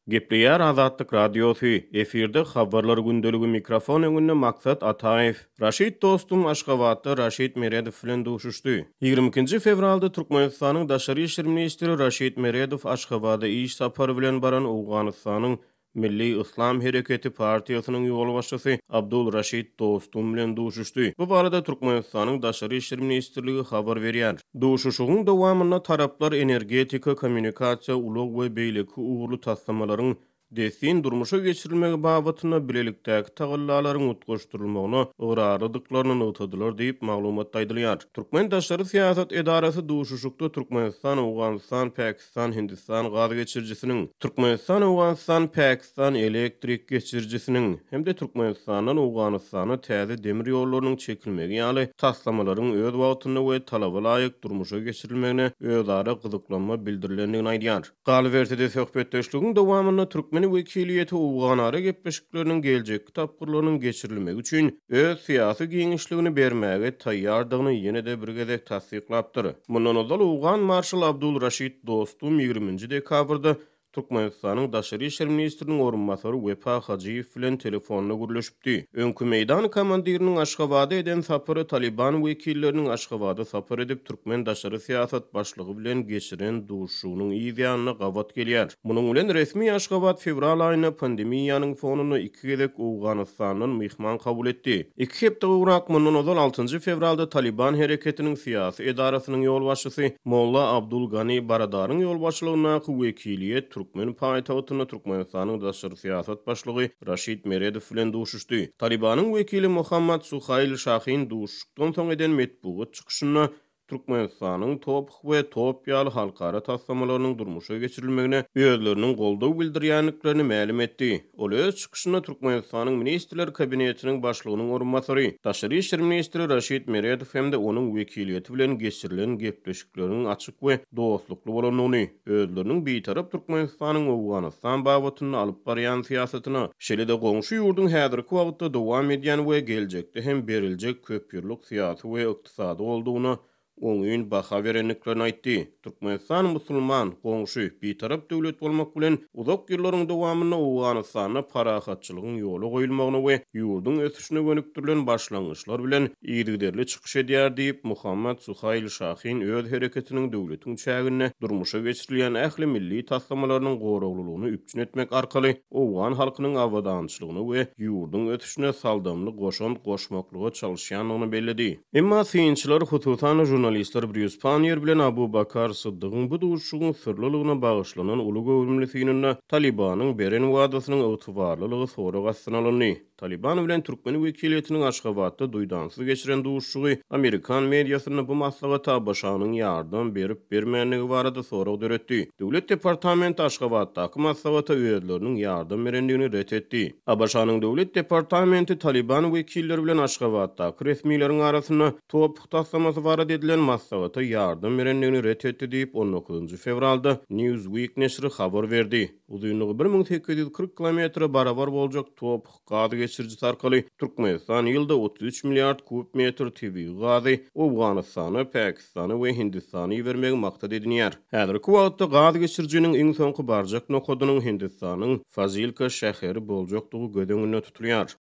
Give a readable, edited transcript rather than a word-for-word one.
Gepleýär Azatlyk Radiosy, efirde Habarlar gündeligi mikrofon öňünde Maksat Ataýew. Raşid Dostum Aşgabatda Raşid Meredow bilen duşuşdy. Ýigrimi ikinji fewralda Türkmenistanyň daşary işler ministri Raşid Meredow Aşgabada iş sapary bilen baran Owganystanyň Milli Yslam Hereketi partiýasynyň ýolbaşçysy Abdul Raşid Dostum bilen duşuşdy. Bu barada Türkmenistanyň Daşary işler ministrligi habar berýär. Duşuşygyň dowamynda taraplar energetika, kommunikasiýa, ulag we beýleki ugurly taslamalaryň dessin durmuşa geçirilmegi babatynda bilelikdäki tagallalaryň utgaşdyrylmagyna ygrarlydyklaryny nygtadylar diýip, maglumatda aýdylýar. Türkmen daşary syýasat edarasy duşuşykda Türkmenistan, Owganystan, Päkistan, Türkmenistan-Hindistan gaz geçirijisiniň, Türkmenistan-Owganystan-Päkistan elektrik geçirijisiniň hem-de Türkmenistandan Owganystana täze demir ýollarynyň çekilmegi ýaly taslamalaryň öz wagtynda we talaba laýyk durmuşa geçirilmegine özara gyzyklanma bildirilendigini aýdýar. Galyberse-de, söhbetdeşligiň dowamynda türkmen wekiliýeti owganara gepleşikleriniň geljekki tapgyrlarynyň geçirilmegi üçin öz syýasy giňişligini bermäge taýýardygyny ýene-de bir gezek tassyklapdyr. Mundan ozal owgan marşaly Abdul Raşid Dostum ýigriminji dekabrda Türkmenistanyň daşary işler ministriniň orunbasary Wepa Hajyýew bilen telefonda gürleşipdi. Öňki meýdan komandiriniň Aşgabada eden sapary Talyban wekilleriniň Aşgabada sapar edip türkmen daşary syýasat başlygy bilen geçiren duşuşygynyň yz ýanyna gabat gelýär. Munuň bilen resmi Aşgabat fewral aýynda pandemiýanyň fonunda iki gezek Owganystandan myhman kabul etdi. Iki hepde gowrak mundan ozal altynjy fewralda Talyban hereketiniň syýasy edarasynyň ýolbaşçysy Molla Abdul Gani Baradaryň ýolbaşçylygyndaky wekiliýet türkmen paýtagtynda Türkmenistanyň daşary syýasat başlygy Raşid Meredow bilen duşuşdy. Talybanyň wekili Mohammad Suhail Şahin duşuşykdan soň eden metbugat çykyşynda Türkmenistanyň TOPH we top ýaly halkara taslamalarynyň durmuşa geçirilmegine özleriniň goldaw bildirýändiklerini mälim etdi. Ol öz çykyşynda Türkmenistanyň Ministrler Kabinetiniň Başlygynyň orunbasary, daşary işler ministri Raşid Meredow hem-de onuň wekiliýeti bilen geçirilen gepleşikleriň açyk we dostlukly bolandygyny, özleriniň Bitarap Türkmenistanyň Owganystan babatynda alyp barýan syýasatyna, şeýle-de goňşy ýurduň häzirki wagtda dowam edýän we geljekde hem beriljek köpýyllyk syýasy we ykdysady goldawyna oňyn baha berendiklerini aýtdy. Türkmenistan musulman, goňşy, bitarap döwlet bolmak bilen, uzak ýyllaryň dowamynda Owganystanda parahatçylygyň ýola goýulmagyna we ýurduň ösüşine gönükdirilen başlangyçlar bilen yzygiderli çykyş edýär diýip, Muhammad Suhail Şahin öz hereketiniň döwletiň çäginde durmuşa geçirilýän ähli milli taslamalarynyň goraglylygyny üpjün etmek arkaly owgan halkynyň abadançylygyna we ýurduň ösüşine saldamly goşant goşmaklyga çalyşýandygyny belledi. Emma synçylar, hususan-da žurnalistler Brýus Panniýer bilen Abu Bakar Syddygyň bu duşuşygyň syrlylygyna bagyşlanan uly göwrümli synynda Talybanyň beren wadasynyň ygtybarlylygy sorag astyna alyndy. Talyban bilen türkmen wekiliýetiniň Aşgabatda duýdansyz geçiren duşuşygy amerikan mediasynda bu maslahata ABŞ-nyň ýardam berip-bermändigi barada sorag döretdi. Döwlet departamenti Aşgabatdaky maslahata özleriniň ýardam berendigini ret etdi. ABŞ-nyň Döwlet departamenti Talyban wekilleri bilen Aşgabatdaky resmileriň arasynda TOPH taslamasy barada edilen maslahata ýardam berendigini ret etdi diýip, on dokuzynjy fewralda Newsweek neşiri habar berdi. Uzynlygy 1840 kilometre barabar boljak TOPH gaz geçirijisi arkaly Türkmenistan ýylda 33 milliard kub metr tebigy gazy Owganystana, Päkistana we Hindistana ibermegi maksat edinýär. Häzirki wagtda gaz geçirijiniň iň soňky barjak nokadynyň Hindistanyň Fazilka şäheri boljakdygy göz öňünde tutulýar.